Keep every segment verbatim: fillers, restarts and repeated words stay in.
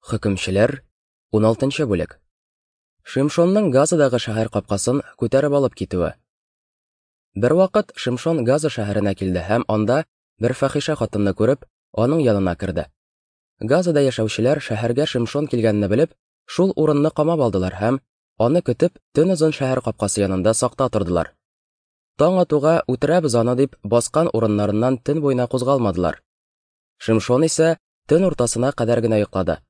Хөкемчеләр, уналтынчы бүлек. Шимшонның Газадагы шәһәр капкасын күтәреп алып китүе. Бервакыт Шимшон Газа шәһәренә килде һәм анда бер фәхишә хатынны күреп, аның янына керде. Газада яшәүчеләр шәһәргә Шимшон килгәнне белеп, шул урынны камап алдылар һәм аны көтеп, төн озын шәһәр капкасы янында сакта тордылар. Таң атуга үтерәбез аны дип баскан урыннарыннан төн буена кузгалмадылар. Шимшон исә төн уртасына кадәр генә йоклады.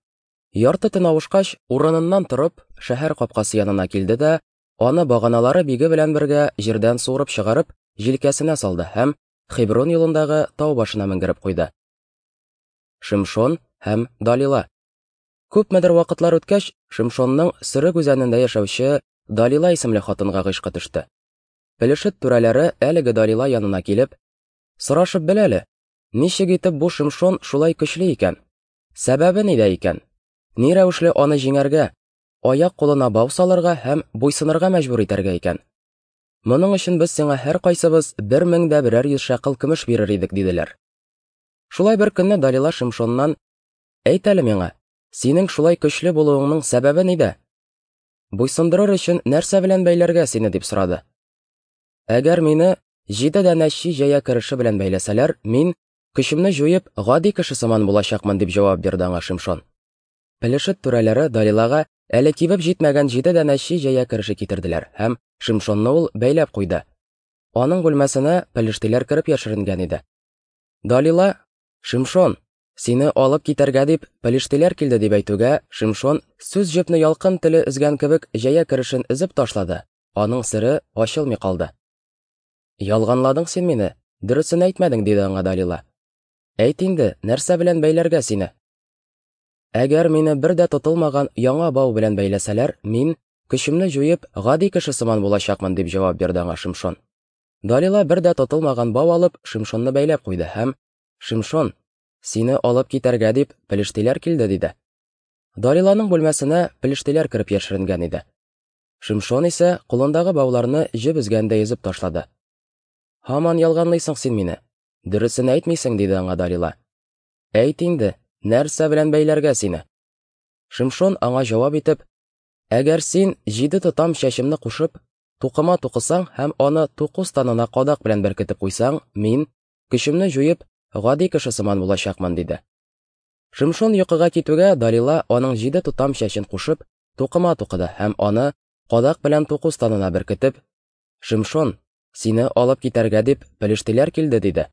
Ярты төн авышкач, урыныннан торып, шәһәр капкасы янына килде дә, аны баганалары биге белән бергә җирдән суырып чыгарып, җилкәсенә салды һәм Хеброн юлындагы тау башына менгереп куйды. Шимшон һәм Далила. Күпмедер вакытлар үткәч, Шимшонның Сөрек үзәнендә яшәүче Далила исемле хатынга гыйшкы төште. Пелешет түрәләре әлеге Далила янына килеп, сорашып бел әле, ничек итеп бу Шимшон шулай көчле икән? Сәбәбе нидә икән? Ни рәвешле аны җиңәргә, аяк кулына бау салырга һәм буйсынырга мәҗбүр итәргә икән? Моның өчен без сиңа һәр кайсыбыз бер мең дә берәр йөз шәкел көмеш бирер идек, диделәр. Шулай бер көнне Далила Шимшоннан: "Әйт әле миңа, синең шулай көчле булуыңның сәбәбе нидә? Буйсындырыр өчен нәрсә белән бәйләргә сине?" дип сорады. Әгәр мине җиде данә чи җәя кереше белән бәйләсәләр, мин көчемне җуеп, гади кеше сыман булачакмын, дип җавап бирде аңа Шимшон. Пелешет түрәләре Далилага әле кибеп җитмәгән җиде данә чи җәя кереше китерделәр һәм Шимшонны ул бәйләп куйды. Аның бүлмәсенә пелештиләр кереп яшеренгән иде. Далила: "Шимшон, сине алып китәргә дип пелештиләр килде", дип әйтүгә, Шимшон сүз җепне ялкын теле өзгән кебек җәя керешен өзеп ташлады. Аның сере ачылмый калды. "Ялганладың син мине, дөресен әйтмәдең", диде аңа Далила. "Әйт инде, нәрсә белән бәйләргә сине? Әгәр мине бер дә тотылмаган яңа бау белән бәйләсәләр, мин көчемне җуеп, гади кеше сыман булачакмын", дип җавап бирде аңа Шимшон. Далила бер дә тотылмаган бау алып, Шимшонны бәйләп куйды һәм: "Шимшон, сине алып китәргә дип пелештиләр килде", диде. Далиланың бүлмәсенә пелештиләр кереп яшеренгән иде. Шимшон исә кулындагы бауларны җеп өзгәндәй өзеп ташлады. "Һаман ялганлыйсың син мине, дөресен әйтмисең", диде аңа Далила. "Әйт инде, нәрсә белән бәйләргә сине?" Шимшон аңа җавап итеп: "Әгәр син җиде тотам чәчемне кушып, тукыма тукысаң һәм аны туку станына кадак белән беркетеп куйсаң, мин көчемне җуеп, гади кеше сыман булачакмын", диде. Шимшон йокыга китүгә, Далила аның җиде тотам чәчен кушып, тукыма тукыды һәм аны кадак белән туку станына беркетеп: "Шимшон, сине алып китәргә дип пелештиләр килде", диде.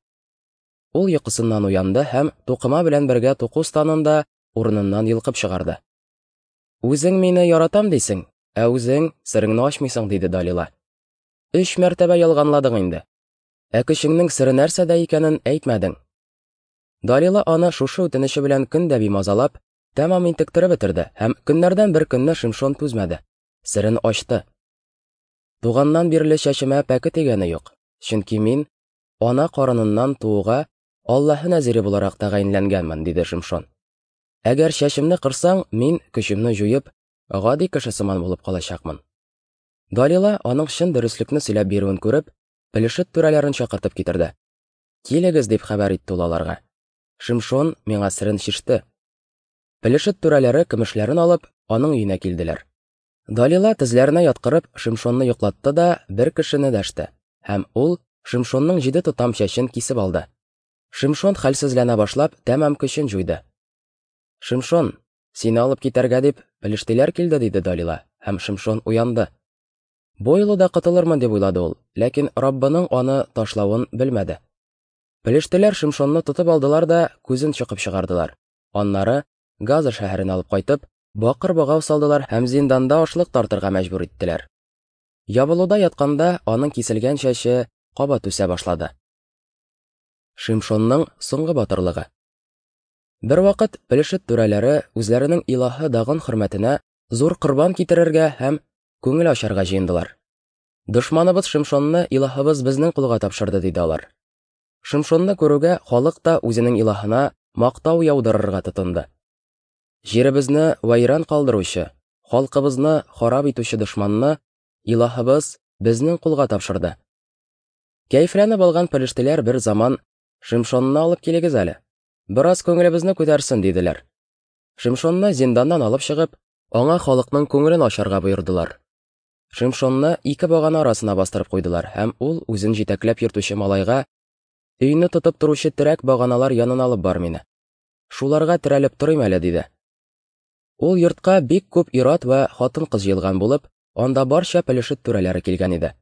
Ул йокысыннан уянды һәм тукыма белән бергә туку станын да урыныннан йолкып чыгарды. "Үзең мине яратам дисең, ә үзең сереңне ачмыйсың", диде Далила. "Өч мәртәбә ялганладың инде. Ә көчеңнең сере нәрсәдә икәнен әйтмәдең." Далила аны шушы үтенече белән көн дә бимазалап, тәмам интектереп бетерде һәм көннәрдән бер көнне Шимшон түзмәде, серен ачты. "Туганнан бирле чәчемә пәке тигәне юк, чөнки мин ана карыныннан тууга Аллаһы нәзире буларак тәгаенләнгәнмен", диде Шимшон. "Әгәр чәчемне кырсаң, мин көчемне җуеп, гади кеше сыман булып калачакмын." Далила аның чын дөреслекне сөйләп бирүен күреп, пелешет түрәләрен чакыртып китерде. "Килегез", дип хәбәр итте ул аларга. "Шимшон миңа серен чиште." Пелешет түрәләре көмешләрен алып, аның өенә килделәр. Далила тезләренә яткырып, Шимшонны йоклатты да бер кешене дәште, һәм ул Шимшонның җиде тотам чәчен кисеп алды. Шимшон хәлсезләнә башлап, тәмам көчен җуйды. "Шимшон, сине алып китәргә дип пелештиләр килде", диде Далила, һәм Шимшон уянды. Бу юлы да котылырмын дип уйлады ул, ләкин Раббының аны ташлавын белмәде. Пелештиләр Шимшонны тотып алдылар да күзен чокып чыгардылар. Аннары Газа шәһәренә алып кайтып, бакыр богау салдылар һәм зинданда ашлык тартырга мәҗбүр иттеләр. Ябылуда ятканда аның киселгән чәче кабат үсә башлады. Шимшонның соңгы батырлыгы. Бервакыт пелешет түрәләре үзләренең илаһы Дагон хөрмәтенә зур корбан китерергә һәм күңел ачарга җыендылар. "Дошманыбыз Шимшонны илаһыбыз безнең кулга тапшырды", диде алар. Шимшонны күрүгә халык та үзенең илаһына мактау яудырырга тотынды. "Җиребезне вәйран калдыручы, халкыбызны харап итүче дошманны илаһыбыз безнең кулга тапшырды." Кәефләнеп алган пелештиләр бер заман: "Шимшонны алып килегез әле, бераз күңелебезне күтәрсен", диделәр. Шимшонны зинданнан алып чыгып, аңа халыкның күңелен ачарга боердылар. Шимшонны ике багана арасына бастырып куйдылар, һәм ул үзен җитәкләп йөртүче малайга: "Өйне тотып торучы терәк баганалар янына алып бар мине. Шуларга терәлеп торыйм әле", – диде. Ул йортка бик күп ир-ат вә хатын-кыз җыелган булып, анда барча Пелешет түрәләре килгән иде.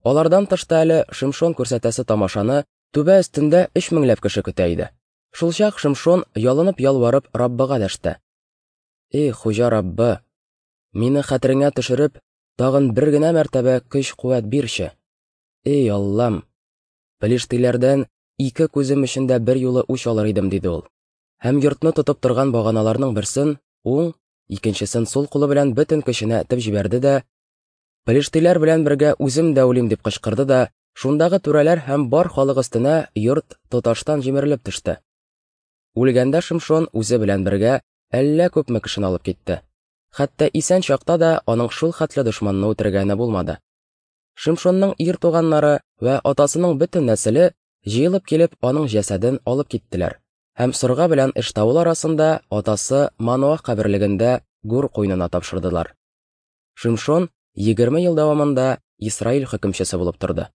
Алардан тыш та әле Шимшон күрсәтәсе тамашаны түбә өстендә өч меңләп кеше көтә иде. Шулчак Шимшон ялынып-ялварып Раббыга дәште: "Эй, Хуҗа Раббы, мине хәтереңә төшереп, тагын бер генә мәртәбә көч-куәт бирче. Эй, Аллам, пелештиләрдән ике күзем өчен дә бер юлы үч алыр идем", – диде ул. Һәм йортны тотып торган баганаларның берсен уң, икенчесен сул кулы белән бөтен көченә этеп җибәрде дә: "Пелештиләр белән бергә үзем дә үлим", – дип кычкырды да, шундагы түрәләр һәм бар халык өстенә йорт тоташтан җимерелеп төште. Үлгәндә Шимшон үзе белән бергә әллә күпме кешене алып китте. Хәтта исән чакта да аның шул хәтле дошманны үтергәне булмады. Шимшонның ир туганнары вә атасының бөтен нәселе җыелып килеп аның җәсәден алып киттеләр һәм Сорга белән Эштаул арасында атасы Маноах каберлегендә гүр куенына тапшырдылар. Шимшон егерме ел дәвамында Исраил хөкемчесе булып торды.